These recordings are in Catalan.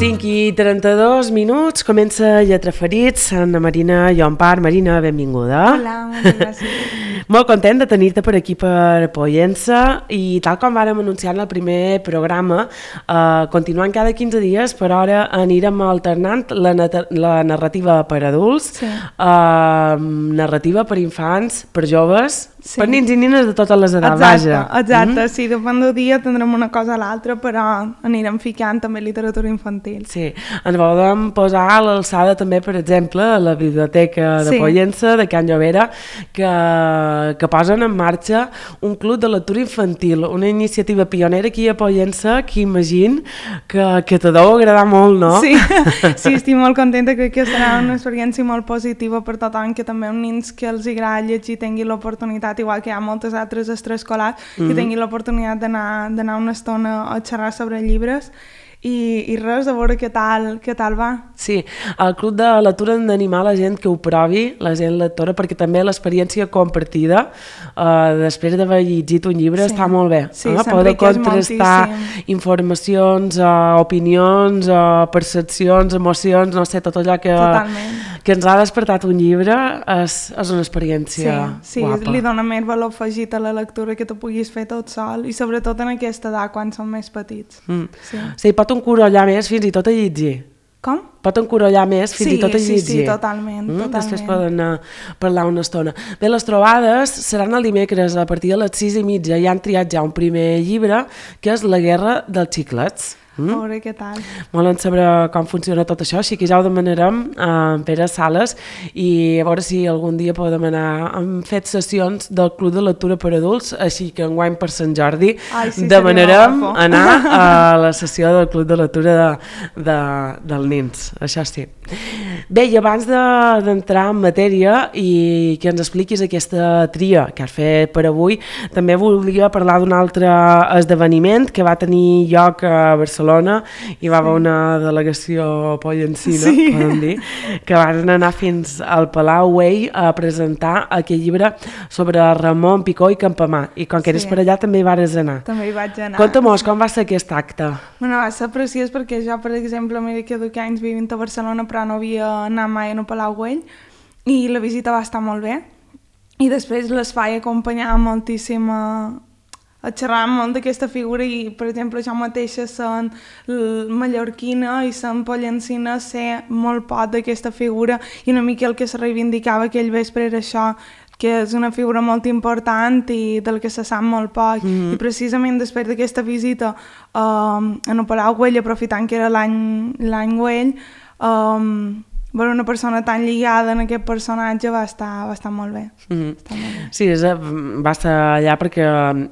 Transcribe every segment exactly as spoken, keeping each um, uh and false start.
cinc i trenta-dos minuts, comença Lletra Ferits, Anna Marina i Empar. Marina, benvinguda. Hola, moltes gràcies. Molt content de tenir-te per aquí per Pollença i tal com vàrem anunciar en el primer programa, eh, continuant cada quinze dies, per hora anirem alternant la, la narrativa per adults, Sí. eh, narrativa per infants, per joves, Sí. per nins i nines de totes les edats. Exacte, vaja. exacte. Mm? Sí, depèn del dia tindrem una cosa a l'altra, però anirem ficant també literatura infantil. Sí, ens volem posar a l'alçada també, per exemple, a la biblioteca de Sí. Pollença, de Can Llovera, que, que posen en marxa un club de lectura infantil, una iniciativa pionera aquí a Pollença, que imagino que, que te deu agradar molt, no? Sí, sí, estic molt contenta, crec que serà una experiència molt positiva per tothom, que també uns nins que els agrada llegir tinguin l'oportunitat, igual que hi ha moltes altres extraescolars, mm-hmm. que tinguin l'oportunitat d'anar d'anar una estona a xerrar sobre llibres. I, i res, a veure què tal, què tal va. Sí, el club de lectura hem d'animar la gent que ho provi, la gent lectora, perquè també l'experiència compartida, eh, després d'haver llegit un llibre, sí. està molt bé. Sí, eh? Poder contrastar moltíssim. informacions, eh, opinions, eh, percepcions, emocions, no sé, tot allò que, que ens ha despertat un llibre és, és una experiència sí, sí, guapa. Li dona més valor afegit a la lectura que tu puguis fer tot sol, i sobretot en aquesta edat, quan són més petits. Mm. Sí. Sí, pot encorollar més fins i tot a llegir. Com? Pot encorollar més fins sí, i tot a llegir. Sí, sí, totalment, mm? totalment. Després poden anar a parlar una estona. Bé, les trobades seran el dimecres a partir de les sis i mitja. Ja han triat ja un primer llibre, que és La guerra dels xiclets. Mm? A veure què tal. Volen saber com funciona tot això, així que ja ho demanarem a Pere Sales i a veure si algun dia podem anar. Hem fet sessions del Club de Lectura per Adults, així que enguany per Sant Jordi Ai, sí, demanarem anar a la sessió del Club de Lectura de, de, dels nins, això sí. Bé, i abans d'entrar de, en matèria i que ens expliquis aquesta tria que has fet per avui, també volia parlar d'un altre esdeveniment que va tenir lloc a Barcelona. Hi va haver sí. una delegació pollencina, sí. podem dir, que van anar fins al Palau Güell a presentar aquest llibre sobre Ramon Picó i Campamar, i com que eres sí. per allà també hi vares anar. També hi vaig anar. Conta-mos, com va ser aquest acte? Bueno, va ser preciós perquè jo, per exemple, mira que duc anys vivint a Barcelona, però no havia anat mai a Palau Güell, i la visita va estar molt bé. I després l'espai acompanyava moltíssim a, a xerrar molt d'aquesta figura, i, per exemple, jo mateixa sent mallorquina i sent pollencina sé molt poc d'aquesta figura, i una mica el que se reivindicava aquell vespre era això, que és una figura molt important i del que se sap molt poc. Mm-hmm. I precisament després d'aquesta visita uh, a Palau Güell, aprofitant que era l'any l'any Güell, um, veure una persona tan lligada en aquest personatge va estar, va estar molt bé. Mm-hmm. Estar molt bé. Sí, és, va estar allà perquè uh,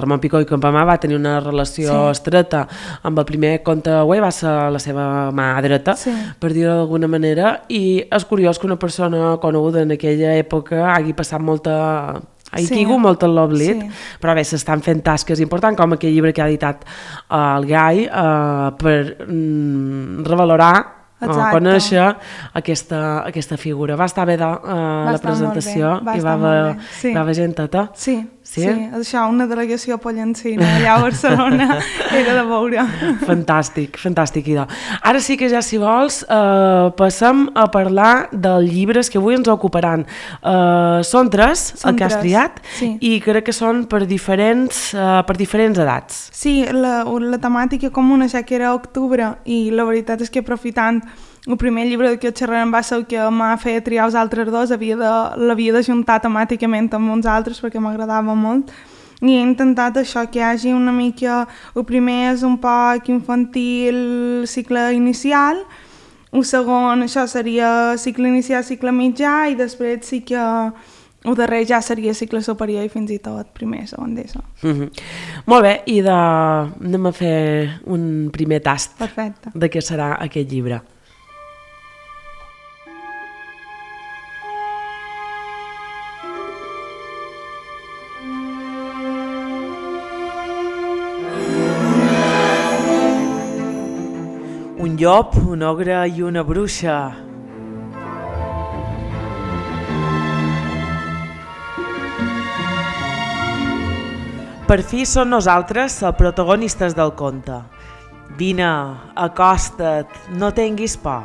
Ramon Picó i Campamar va tenir una relació sí. estreta amb el primer conte Güell, va ser la seva mà dreta, sí. per dir-ho d'alguna manera, i és curiós que una persona coneguda en aquella època hagi passat molta... ha sí. caigut molt en l'oblit, sí. però bé, s'estan fent tasques importants, com aquell llibre que ha editat uh, el Gai, uh, per mm, revalorar o conèixer aquesta, aquesta figura. Va estar bé de, uh, la presentació va i va haver sí. gent tota? Sí, sí, sí, això, una delegació pollencina allà a Barcelona era de veure. Fantàstic, fantàstic, idò. Ara sí que ja, si vols, uh, passem a parlar dels llibres que avui ens ocuparan. Uh, són tres, són el que has triat, sí. i crec que són per diferents, uh, per diferents edats. Sí, la, la temàtica comuna ja que era octubre, i la veritat és que aprofitant el primer llibre que xerrarem va ser el que m'ha fet triar els altres dos, l'havia de juntar temàticament amb uns altres perquè m'agradava molt, i he intentat això, que hi hagi una mica, el primer és un poc infantil, cicle inicial, el segon això seria cicle inicial, cicle mitjà, i després sí que el darrer ja seria cicle superior i fins i tot primer, segon d'ESO. Mm-hmm. Molt bé, i de... anem a fer un primer tast Perfecte. de què serà aquest llibre. Un llop, un ogre i una bruixa. Per fi són nosaltres els protagonistes del conte. Vine, acosta't, no tinguis por.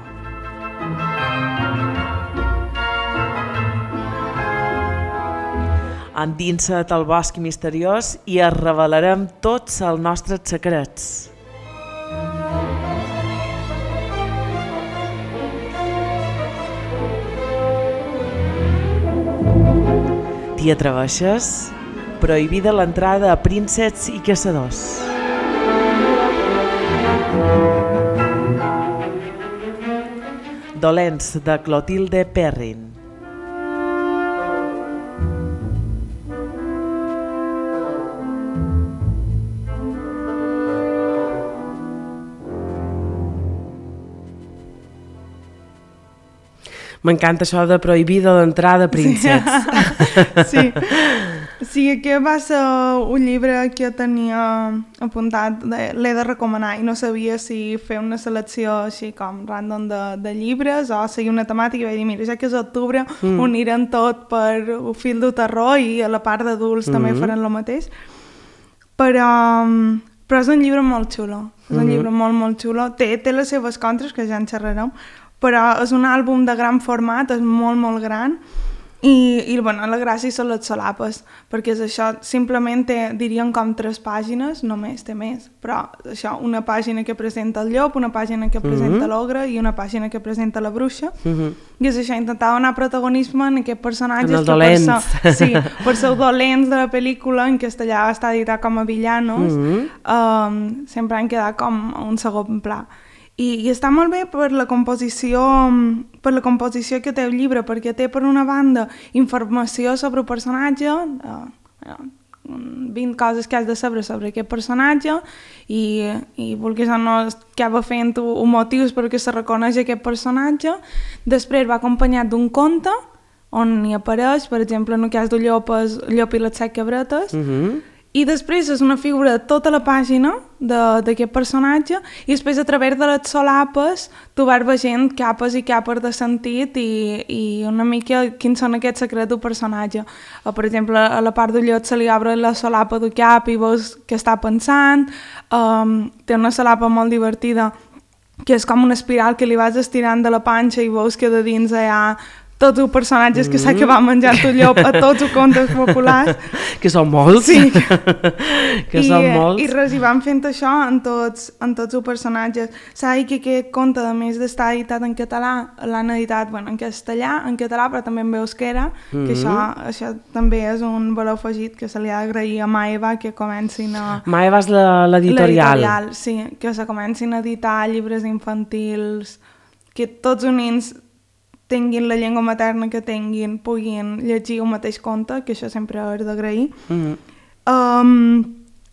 Endinsa't al bosc misteriós i es revelarem tots els nostres secrets. T'hi atreveixes? Prohibida l'entrada a prínceps i caçadors. Dolents, de Clotilde Perrin. M'encanta això de prohibida l'entrada a prínceps. Sí. Sí, aquest va ser un llibre que tenia apuntat, l'he de recomanar i no sabia si fer una selecció així com random de, de llibres o seguir una temàtica i vaig dir, mira, ja que és octubre mm. ho anirem tot per un fil de terror i a la part d'adults mm. també faran el mateix. Però, però és un llibre molt xulo, és un mm. llibre molt, molt xulo. Té, té les seves contres, que ja en xerrarem, però és un àlbum de gran format, és molt, molt gran, i, i bueno, la gràcia són les solapes, perquè és això, simplement té, diríem com tres pàgines, només té més, però això, una pàgina que presenta el llop, una pàgina que presenta mm-hmm. l'ogre i una pàgina que presenta la bruixa, mm-hmm. i és això, intentar donar protagonisme en aquests personatges en els dolents. Que per ser, sí, per ser dolents de la pel·lícula, en castellà està editat com a villanos, mm-hmm. um, sempre han quedat com un segon pla. I, i està molt bé per la composició per la composició que té el llibre, perquè té per una banda informació sobre el personatge, eh, vint coses que has de saber sobre aquest personatge i, i vulguis o no acaba fent un motius perquè se reconeix aquest personatge. Després va acompanyat d'un conte on hi apareix, per exemple, en el cas del llop, el llop i les set cabretes, mm-hmm. i després és una figura de tota la pàgina d'aquest personatge i després a través de les solapes tu vas veient capes i capes de sentit i, i una mica quins són aquests secrets del personatge. Per exemple, a la part del llop se li obre la solapa del cap i veus què està pensant, um, té una solapa molt divertida que és com una espiral que li vas estirant de la panxa i veus que de dins hi ha tots els personatges que s'ha acabat menjant el llop a tots els contes populars. Que són molts. Sí. que I, són molts. I res, i van fent això en tots, en tots els personatges. S'ha dit que aquest conte, a més d'estar editat en català, l'han editat bueno, en castellà, en català, però també en euskera, mm-hmm. que això, això també és un valor afegit que se li ha d'agrair a Maeva, que comencin a... Maeva és l'editorial. L'editorial, sí, que se comencin a editar llibres infantils, que tots els nens tinguin la llengua materna que tinguin, puguin llegir el mateix conte, que això sempre és d'agrair. Mm-hmm. Um,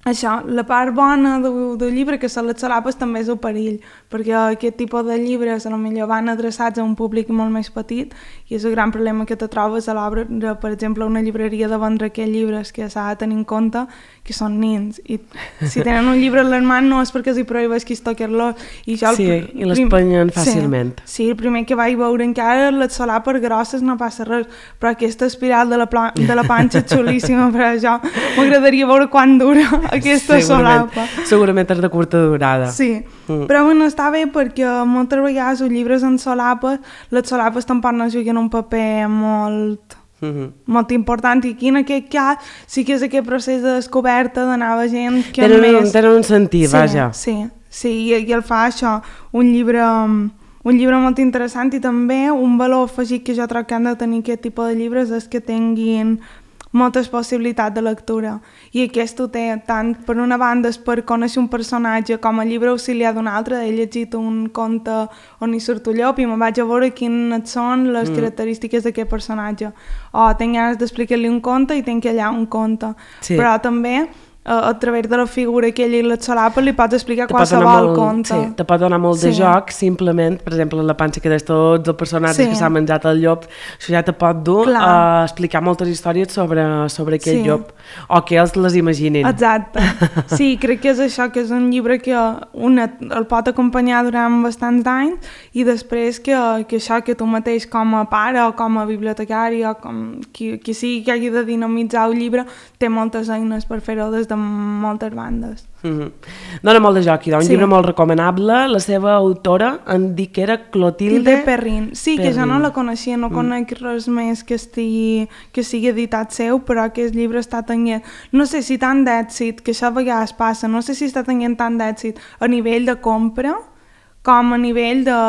això, la part bona del, del llibre, que són les solapes, també és el perill, perquè aquest tipus de llibres potser van adreçats a un públic molt més petit i és el gran problema que te trobes a l'obra, per exemple, una llibreria de vendre aquests llibres que s'ha de tenir en compte que són nens, i si tenen un llibre a les mans no és perquè els hi prohibeix que es toquen-lo. I jo, sí, el, i l'espanyen fàcilment. Sí, sí, el primer que vaig veure encara les solapes grosses no passa res, però aquesta espiral de la, pla, de la panxa és xulíssima, però jo m'agradaria veure quan dura aquesta segurament, solapa. Segurament és de curta durada. Sí, mm. però bueno, està bé perquè moltes vegades els llibres en solapes, les solapes tampoc no juguen un paper molt... Mm-hmm. molt important, i aquí en aquest cas sí que és aquest procés de descoberta d'anar veient que tenen, més... tenen un sentit, sí, vaja. Sí, sí, i, i el fa això, un llibre, un llibre molt interessant, i també un valor afegit que jo trobo que han de tenir aquest tipus de llibres és que tinguin moltes possibilitats de lectura, i aquest ho té tant per una banda és per conèixer un personatge com a llibre auxiliar d'un altre. He llegit un conte on hi surt un llop i me vaig a veure quines són les mm. característiques d'aquest personatge, o tinc ganes d'explicar-li un conte i tinc allà un conte, sí. Però també a través de la figura aquella i les solapes li pots explicar te qualsevol conte. Sí, te pot donar molt de sí. joc, simplement, per exemple, la panxa que des tots els personatges sí. que s'ha menjat el llop, això ja te pot dur Clar. a explicar moltes històries sobre, sobre aquell sí. llop, o que ells les imaginin. Exacte. Sí, crec que és això, que és un llibre que una el pot acompanyar durant bastants anys, i després que, que això que tu mateix com a pare o com a bibliotecari o com qui, qui sigui que hagi de dinamitzar el llibre té moltes eines per fer-ho des de moltes bandes. Mm-hmm. Dóna molt de joc, un Sí. llibre molt recomanable. La seva autora em dic que era Clotilde Tilde Perrin. Sí, que jo no Perrin. la coneixia, no conec res més que estigui, que sigui editat seu, però aquest llibre està tenint, no sé si tant d'èxit, que això a vegades passa, no sé si està tenint tant d'èxit a nivell de compra com a nivell de...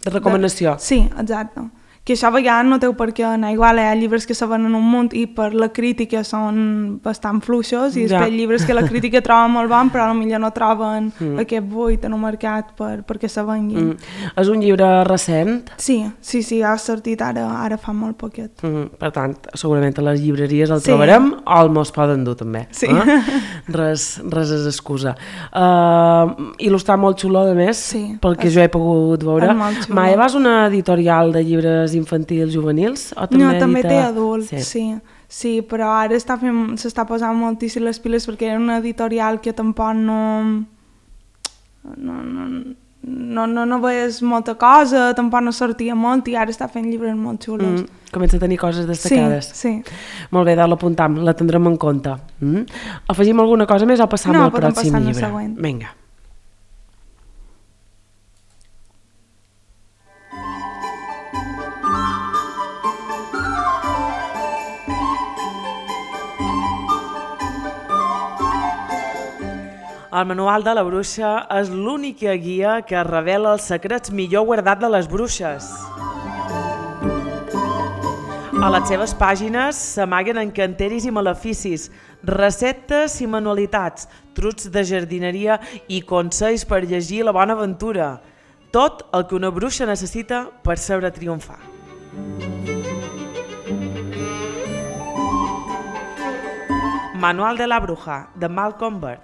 de recomanació. De, sí, exacte. Que això a vegades no té per què anar igual, hi ha llibres que se venen un munt i per la crítica són bastant fluixos i Ja. després llibres que la crítica troba molt bon però potser no troben mm. aquest buit en un mercat per, perquè se venguin. Mm. És un llibre recent, Sí, sí, sí, ha sortit ara, ara fa molt poquet. mm. per tant, segurament a les llibreries el Sí. trobarem o el mos poden dur també. Sí. Eh? Res, res és excusa. Uh, il·lustrat molt xulo, a més, Sí. pel que És- jo he pogut veure. és molt xulo. Maeva és una editorial de llibres infantils juvenils? O també No, també edita... té adults, sí. Sí. sí. Sí, però ara està fent, s'està posant moltíssim les piles perquè era una editorial que tampoc no... No, no, no, no, no veies molta cosa, tampoc no sortia molt i ara està fent llibres molt xulos. Mm, comença a tenir coses destacades. Sí, sí. Molt bé, l'apuntam, la tindrem en compte. Mm? Afegim alguna cosa més o passam No, al podem pròxim passar al llibre? següent. Vinga. El manual de la bruixa és l'única guia que revela els secrets millor guardats de les bruixes. A les seves pàgines s'amaguen encanteris i maleficis, receptes i manualitats, trucs de jardineria i consells per llegir la bona aventura. Tot el que una bruixa necessita per saber triomfar. Manual de la bruja, de Malcolm Burt.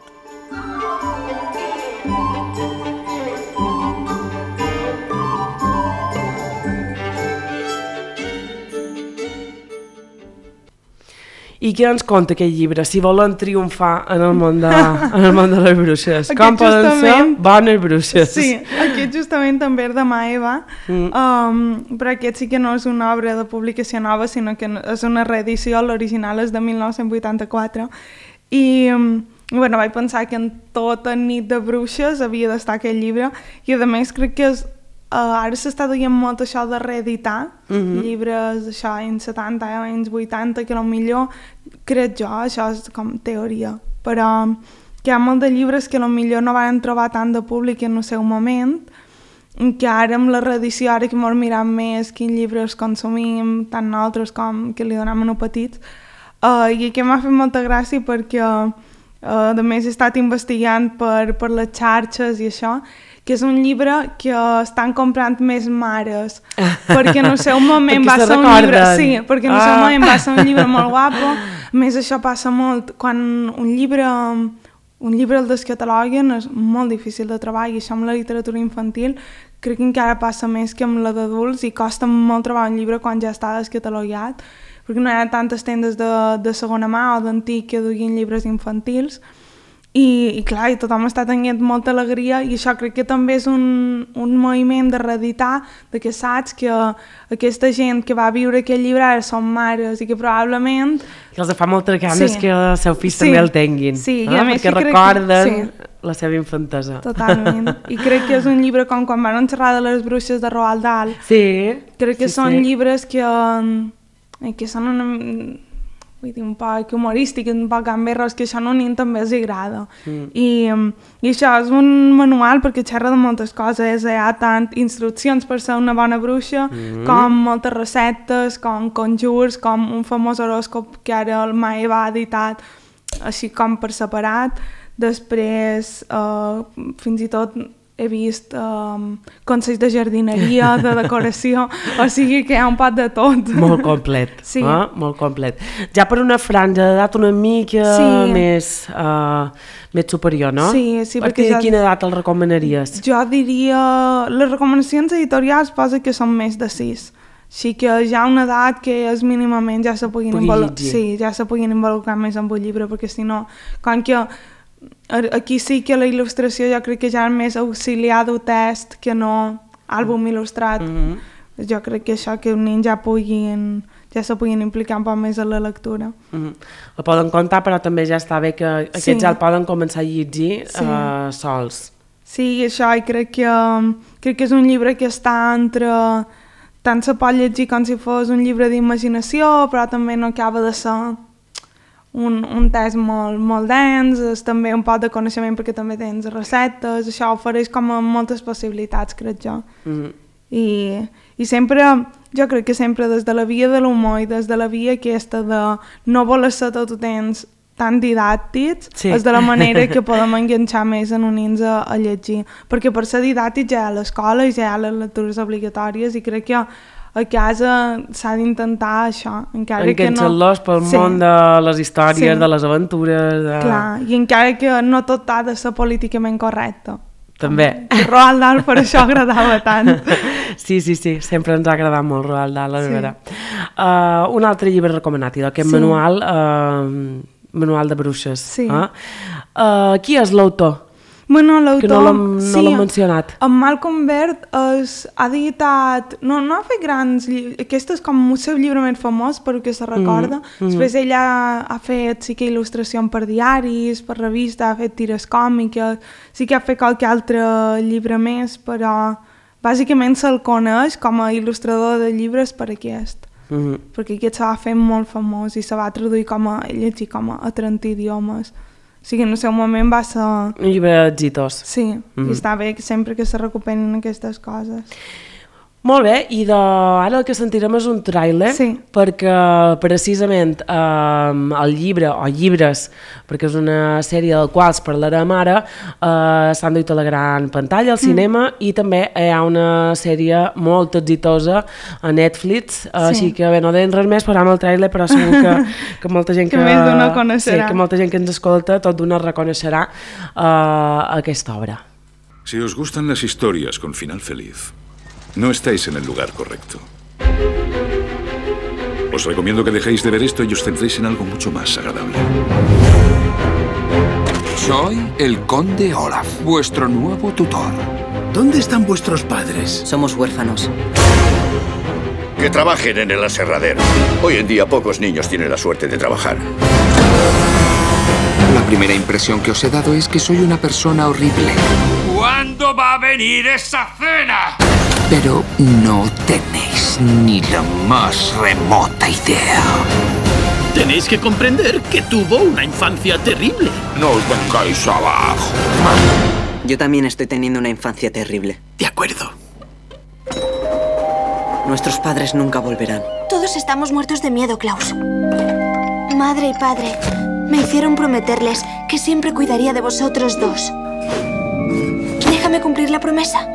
I què ens conta aquest llibre? Si volen triomfar en el món de, en el món de les bruixes. Aquest Com poden justament- ser bones bruixes? Sí, aquest justament també és de Maeva, mm. um, però aquest sí que no és una obra de publicació nova, sinó que és una reedició, l'original és de mil nou-cents vuitanta-quatre, i um, bueno, vaig pensar que en tota nit de bruixes havia d'estar aquest llibre, i a més crec que és Uh, ara s'està duient molt això de reeditar mm-hmm. llibres això, anys setanta, anys vuitanta, que potser crec jo, això és com teoria, però que hi ha molts de llibres que potser no van trobar tant de públic en el seu moment, que ara amb la reedició, ara que ens mirem més quins llibres consumim, tant nosaltres com que li donem a uns petits, uh, i que m'ha fet molta gràcia perquè uh, a més he estat investigant per, per les xarxes i això, que és un llibre que estan comprant més mares, perquè en el seu moment va ser un llibre... Sí, perquè en el seu ah. moment va ser un llibre molt guapo. A més, això passa molt. Quan un llibre, un llibre el descataloguen és molt difícil de trobar, i això amb la literatura infantil crec que encara passa més que amb la d'adults, i costa molt trobar un llibre quan ja està descatalogat, perquè no hi ha tantes tendes de, de segona mà o d'antic que duguin llibres infantils. I, i clar, i tothom està tenint molta alegria, i això crec que també és un, un moviment de reeditar, de que saps que aquesta gent que va viure aquest llibre ara són mares i que probablement... Que els fa moltes ganes Sí. que els seus fills Sí. també el tinguin, Sí, i eh? a més perquè que crec que- recorden sí. la seva infantesa. Totalment. I crec que és un llibre com quan van xerrar de les bruixes de Roald Dahl. Sí. Crec que sí, són sí. llibres que, eh, que són una... Vull dir, un poc humorístic, un poc gamberros, que això a un nen també els agrada. Mm. I, I això és un manual perquè xerra de moltes coses, hi ha tant instruccions per ser una bona bruixa, mm. com moltes receptes, com conjurs, com un famós horòscop que ara el Maeva ha editat, així com per separat. Després, eh, fins i tot he vist um, consells de jardineria, de decoració, o sigui que hi ha un pot de tot. Molt complet, Sí. eh? Molt complet. Ja per una franja d'edat una mica Sí. més, uh, més superior, no? Sí, sí, A perquè partir de ja- quina edat el recomanaries? Jo diria... Les recomanacions editorials posa que són més de sis. Així que ja una edat que és mínimament ja se puguin, Pugui involu- llegir. sí, ja se puguin involucrar més amb el llibre, perquè si no, com que aquí sí que la il·lustració jo crec que ja és més auxiliar d'un test que no àlbum il·lustrat. Mm -hmm. Jo crec que això que un nen ja puguin, ja se puguin implicar un poc més en la lectura. Mm-hmm. La poden contar, però també ja està bé que aquests sí. ja el poden començar a llegir sí. uh, sols. Sí, això, i crec que, crec que és un llibre que està entre... Tant se pot llegir com si fos un llibre d'imaginació, però també no acaba de ser un, un text molt, molt dens, és també un poc de coneixement perquè també tens receptes, això ofereix com a moltes possibilitats, crec jo. Mm-hmm. I, I sempre, jo crec que sempre des de la via de l'humor i des de la via aquesta de no voler ser tot ho tens tan didàctics, sí. és de la manera que podem enganxar més en unir-nos a, a llegir. Perquè per ser didàctics ja hi ha l'escola i ja hi ha les lectures obligatòries i crec que a casa s'ha d'intentar això. Enganxar-los no... pel sí. món de les històries, sí. de les aventures... De... Clar, i encara que no tot ha de ser políticament correcte. També. Roald Dahl per això agradava tant. Sí, sí, sí, sempre ens ha agradat molt Roald Dahl, la sí. veritat. Uh, un altre llibre recomanat, aquest sí. manual... Uh, Manual de bruixes. Sí. Eh? Uh, qui és l'autor? Bueno, l'autor... Que no l'hem no sí, mencionat. En Malcolm Baird es, ha editat... No, no ha fet grans llibres... Aquest és com el seu llibre més famós, per que se recorda. Mm, mm. Després ell ha, ha fet sí que il·lustració per diaris, per revistes, ha fet tires còmiques, sí que ha fet qualque altre llibre més, però bàsicament se'l coneix com a il·lustrador de llibres per aquest. Mm-hmm. Perquè aquest se va fer molt famós i se va traduir com a llegir com a, a trenta idiomes. O sigui, en el seu moment va ser... Un llibre exitós. Sí, mm-hmm. i està bé que sempre que se recuperin aquestes coses. Molt bé, i de... ara el que sentirem és un tràiler, sí. perquè precisament eh, el llibre, o llibres, perquè és una sèrie del qual parlarem ara, eh, s'han duit a la gran pantalla, al cinema, mm. i també hi ha una sèrie molt exitosa a Netflix, eh, sí. així que bé, no deien res més, però amb el tràiler, però segur que, que molta gent que... que més d'una coneixerà. Sí, que molta gent que ens escolta, tot d'una reconeixerà eh, aquesta obra. Si os gustan las historias con final feliz, no estáis en el lugar correcto. Os recomiendo que dejéis de ver esto y os centréis en algo mucho más agradable. Soy el conde Olaf, vuestro nuevo tutor. ¿Dónde están vuestros padres? Somos huérfanos. Que trabajen en el aserradero. Hoy en día pocos niños tienen la suerte de trabajar. La primera impresión que os he dado es que soy una persona horrible. ¿Cuándo va a venir esa cena? Pero no tenéis ni la más remota idea. Tenéis que comprender que tuvo una infancia terrible. No os vengáis abajo. Yo también estoy teniendo una infancia terrible. De acuerdo. Nuestros padres nunca volverán. Todos estamos muertos de miedo, Klaus. Madre y padre me hicieron prometerles que siempre cuidaría de vosotros dos. Déjame cumplir la promesa.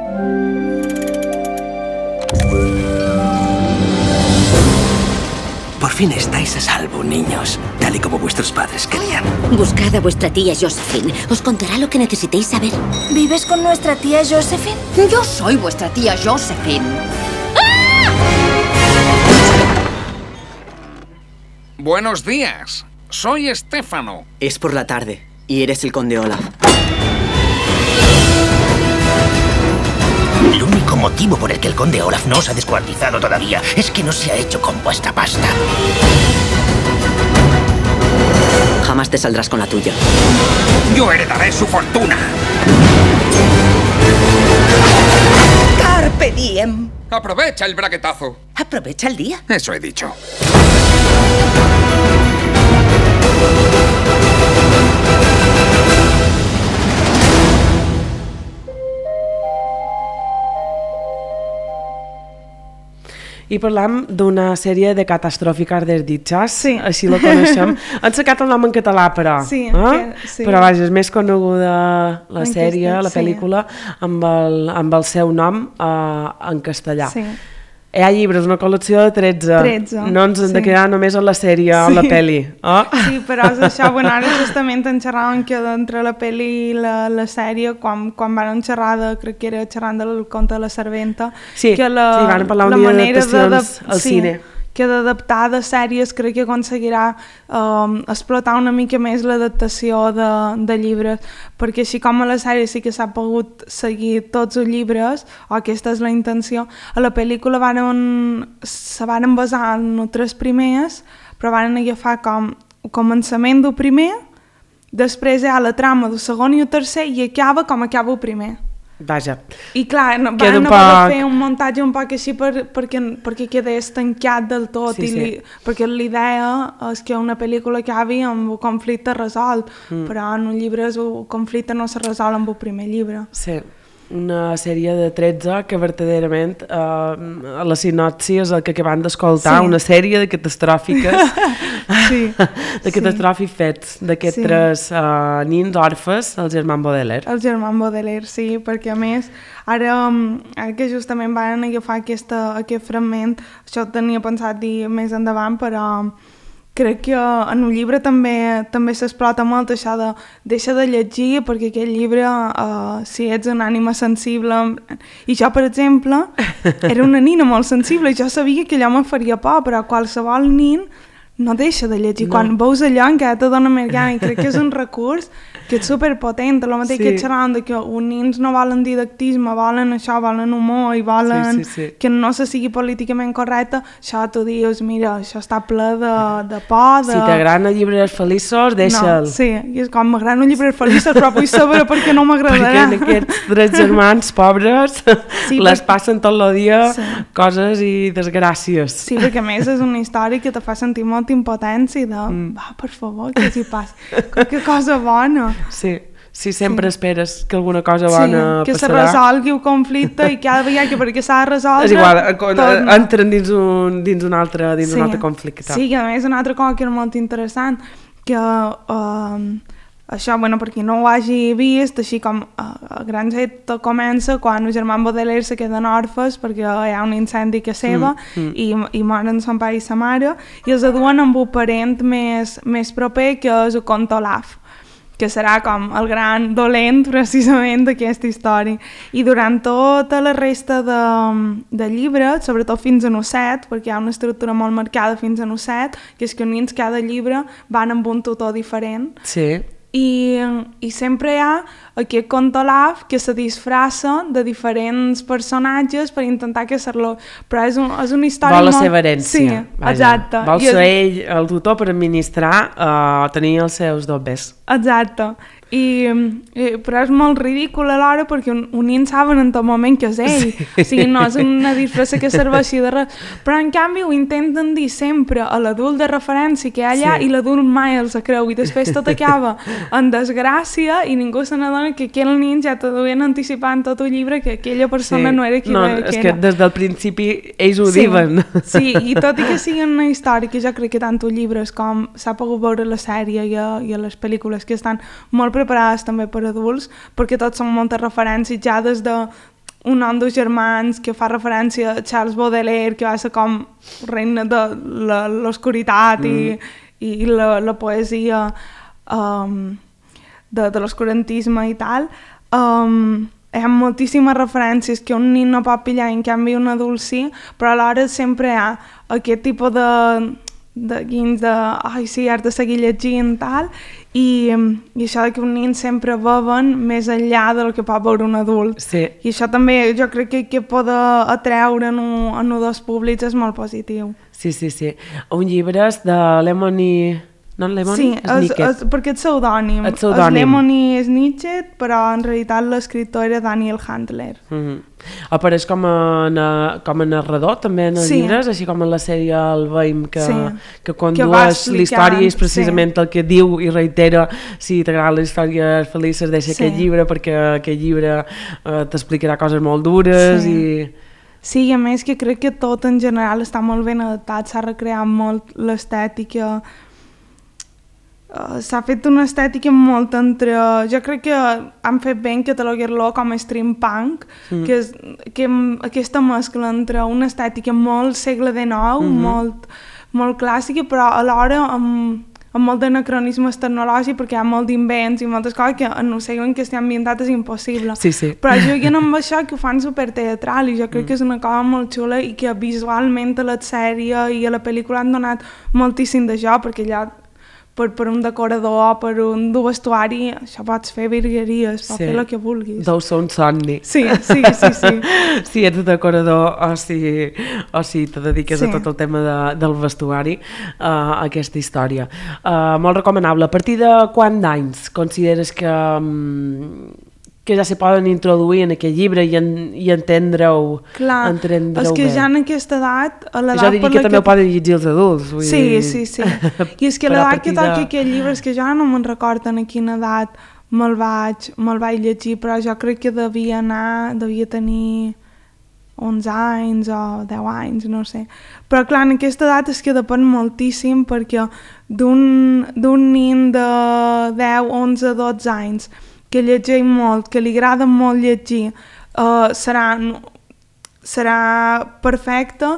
Por fin estáis a salvo, niños, tal y como vuestros padres querían. Buscad a vuestra tía Josephine. Os contará lo que necesitéis saber. ¿Vives con nuestra tía Josephine? Yo soy vuestra tía Josephine. ¡Ah! Buenos días. Soy Estefano. Es por la tarde y eres el conde Olaf. El único motivo por el que el conde Olaf no os ha descuartizado todavía es que no se ha hecho con vuestra pasta. Jamás te saldrás con la tuya. Yo heredaré su fortuna. Carpe diem. Aprovecha el braguetazo. Aprovecha el día. Eso he dicho. I parlam d'una sèrie de catastròfiques desditjats, sí. així la coneixem. Han sacat el nom en català, però. Sí, eh? que, sí. Però vaja, és més coneguda la en sèrie, castell, la pel·lícula, sí. amb, el, amb el seu nom eh, en castellà. Sí. Hi ha llibres, una col·lecció de tretze. tretze. No ens hem sí. de quedar només en la sèrie o sí. la pel·li. Oh? Sí, però és això, bueno, ara justament en xerraven que entre la pel·li i la, la sèrie, quan, quan van xerrar de, crec que era xerrant del conte de la serventa, sí, que la, sí, van parlar un la dia manera d'adaptacions de, al sí, cine. que d'adaptar de sèries crec que aconseguirà um, explotar una mica més l'adaptació de, de llibres, perquè així com a la sèrie sí que s'ha pogut seguir tots els llibres, o aquesta és la intenció, a la pel·lícula varen, se van basar en els tres primers, però van agafar com començament del primer, després hi ha la trama del segon i el tercer i acaba com acaba el primer. Vaja. I clar, no, van no poc... poder fer un muntatge un poc així per, perquè, perquè quedés tancat del tot, sí, i sí. Li, perquè l'idea és que una pel·lícula acabi amb un conflicte resolt, mm. però en un llibre el conflicte no se resol amb el primer llibre. Sí. Una sèrie de tretze que verdaderament eh, a la sinopsi és el que acabem d'escoltar, sí. Una sèrie de catastròfiques sí. de catastròfics sí. Fets d'aquests sí. tres uh, nins orfes, el Germán Baudelaire. El Germán Baudelaire, sí, perquè a més ara, ara que justament van agafar aquesta, aquest fragment, això tenia pensat dir més endavant, però crec que en un llibre també també s'explota molt això de deixa de llegir perquè aquest llibre, uh, si ets una ànima sensible... I jo, per exemple, era una nina molt sensible i jo sabia que allò me faria por, però qualsevol nin no deixa de llegir. No. Quan veus allò encara te dona més gana i crec que és un recurs que és superpotent, el mateix sí. Que xerrant de que els nins no volen didactisme, volen això, volen humor i volen sí, sí, sí. Que no se sigui políticament correcte, això tu dius, mira, això està ple de, de por, de... Si t'agraden els llibres feliços, deixa'l. No, sí, i és com m'agraden els llibres feliços, però vull saber per què no m'agradarà. Perquè aquests tres germans pobres sí, les perquè... passen tot el dia sí. Coses i desgràcies. Sí, perquè a més és una història que te fa sentir molta impotència i de, mm. va, per favor, què s'hi passa? Que cosa bona. Sí, sí, sempre sí. Esperes que alguna cosa bona sí, que passarà. Se resolgui el conflicte i cada vegada que perquè s'ha de resoldre... És igual, tot... entren dins un, dins un, altre, dins sí. un altre conflicte. Sí, i a més una altra cosa que era molt interessant, que uh, això, bueno, per qui no ho hagi vist, així com uh, el gran set comença quan el Germán Baudelaire se queden orfes perquè hi ha un incendi que seva mm, mm. i, i moren son pare i sa mare i els aduen amb un parent més, més proper que és el comte Olaf, que serà com el gran dolent precisament d'aquesta història. I durant tota la resta de, de llibre, sobretot fins a el set, perquè hi ha una estructura molt marcada fins a el set, que és que els nins cada llibre van amb un tutor diferent. Sí. I, i sempre hi ha aquest comte Olaf que se disfressa de diferents personatges per intentar caçar-lo, però és, un, és una història vol la molt... seva herència. Sí, vaja. Exacte. Vol ser ell el tutor per administrar uh, tenir els seus dobbers. Exacte. I, i, però és molt ridícul alhora perquè un, un nin saben en tot moment que és ell, sí. O sigui, no és una disfressa que serveixi de res, però en canvi ho intenten dir sempre a l'adult de referència que hi ha allà sí. I l'adult mai els creu i després tot acaba en desgràcia i ningú se n'adona que aquell nin ja te duien anticipant tot el llibre que aquella persona sí. No era qui no, era. És que des del principi ells ho sí. Diuen. Sí, i tot i que sigui una història que jo crec que tant els llibres com s'ha pogut veure a la sèrie i a, i a les pel·lícules que estan molt preparades també per adults, perquè tots són moltes referències ja des de un nom dels germans que fa referència a Charles Baudelaire, que va ser com reina de l'oscuritat mm. i, i la, la poesia um, de, de l'oscurantisme i tal. Um, hi ha moltíssimes referències que un nin no pot pillar, en canvi un adult sí, però alhora sempre hi ha aquest tipus de de guins de, ai sí, has de seguir llegint tal, i, i això que un nin sempre beuen més enllà del que pot veure un adult. Sí. I això també jo crec que, que poder atreure en un, en un dels públics és molt positiu. Sí, sí, sí. Un llibre és de Lemony... No, Lemony? Sí, és, és, perquè és pseudònim. És pseudònim. Lemony és Nietzsche, però en realitat l'escriptor era Daniel Handler. Mm-hmm. Apareix com a, com a narrador també en els sí. Llibres, així com en la sèrie El Veïm, que, sí. Que condueix la història és precisament sí. El que diu i reitera si t'agrada la història feliç deixa sí. Aquest llibre perquè aquest llibre eh, t'explicarà coses molt dures sí. I... Sí, i a més que crec que tot en general està molt ben adaptat, s'ha recreat molt l'estètica. Uh, s'ha fet una estètica molt entre... Jo crec que han fet bé en catalogar-lo com a stream punk, mm. que és que aquesta mescla entre una estètica molt segle dinou, mm-hmm. molt, molt clàssica, però alhora amb, amb molt d'anacronismes tecnològics perquè hi ha molt d'invents i moltes coses que en un segle en què estem ambientat és impossible. Sí, sí. Però juguen amb això que ho fan superteatral i jo crec mm. que és una cosa molt xula i que visualment a la sèrie i a la pel·lícula han donat moltíssim de joc perquè allà per, per un decorador, per un du vestuari, això pots fer virgueries, pots sí. fer el que vulguis. Deu ser un somni. Sí, sí, sí, sí. Si ets decorador o si, o si te dediques sí. a tot el tema de, del vestuari, uh, a aquesta història. Uh, molt recomanable. A partir de quant d'anys consideres que... Um, que ja se poden introduir en aquest llibre i, en, i entendre-ho Clar, és que bé. Ja en aquesta edat... A l'edat jo diria que també que... ho poden llegir els adults. Vull sí, dir... sí, sí. I és que l'edat que toca de... aquest llibre, és que jo no me'n recordo en quina edat me'l vaig, me vaig llegir, però jo crec que devia anar, devia tenir onze anys o deu anys, no sé. Però clar, en aquesta edat és que depèn moltíssim perquè d'un nin de deu, onze, dotze anys que llegeix molt, que li agrada molt llegir, uh, serà, serà perfecte,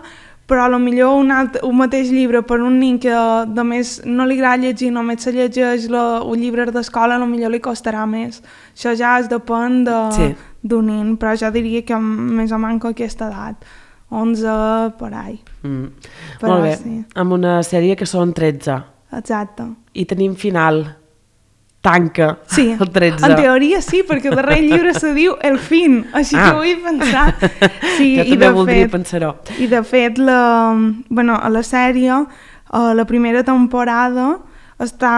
però potser un, alt, un mateix llibre per un nin que de més no li agrada llegir, només se llegeix la, un llibre d'escola, potser li costarà més. Això ja es depèn de, sí. d'un nin, però jo diria que més o menys aquesta edat, onze, per ahí. Mm. Però, molt bé, sí. amb una sèrie que són tretze. Exacte. I tenim final. Tanca sí. el tretze. En teoria sí, perquè el darrer llibre se diu El fin, així ah. que vull pensar. Sí, jo i també de voldria fet, pensar-ho. I de fet, la, bueno, a la sèrie, a la primera temporada està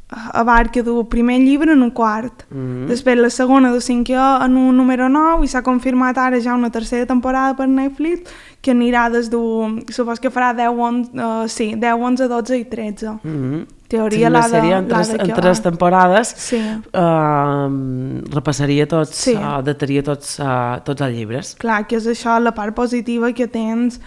abarca el primer llibre en un quart. Mm-hmm. Després la segona del cinquè en un número nou i s'ha confirmat ara ja una tercera temporada per Netflix que anirà des d'un... supos que farà deu, onze, uh, sí, deu, onze, dotze i tretze. Mm-hmm. Teoria sí, la de, en tres, en tres temporades sí. uh, repassaria tots, sí. uh, dataria tots, uh, tots els llibres. Clar, que és això, la part positiva que tens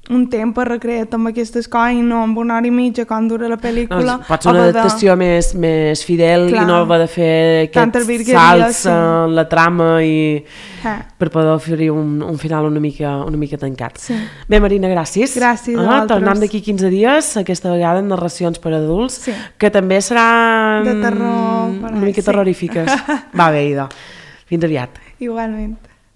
un temps per recrear-te amb aquestes coses i no amb una hora i mitja com dura la pel·lícula. No, pot ser una adaptació de... més, més fidel. Clar. I no va de fer aquests salts sí. en la trama i eh. per poder oferir un, un final una mica, una mica tancat. Sí. Bé, Marina, gràcies. Gràcies a ah, vosaltres. Tornem d'aquí quinze dies, aquesta vegada en narracions per adults, sí. que també seran de terror, una mica sí. terrorífiques. Va bé, idò. Fins aviat. Igualment.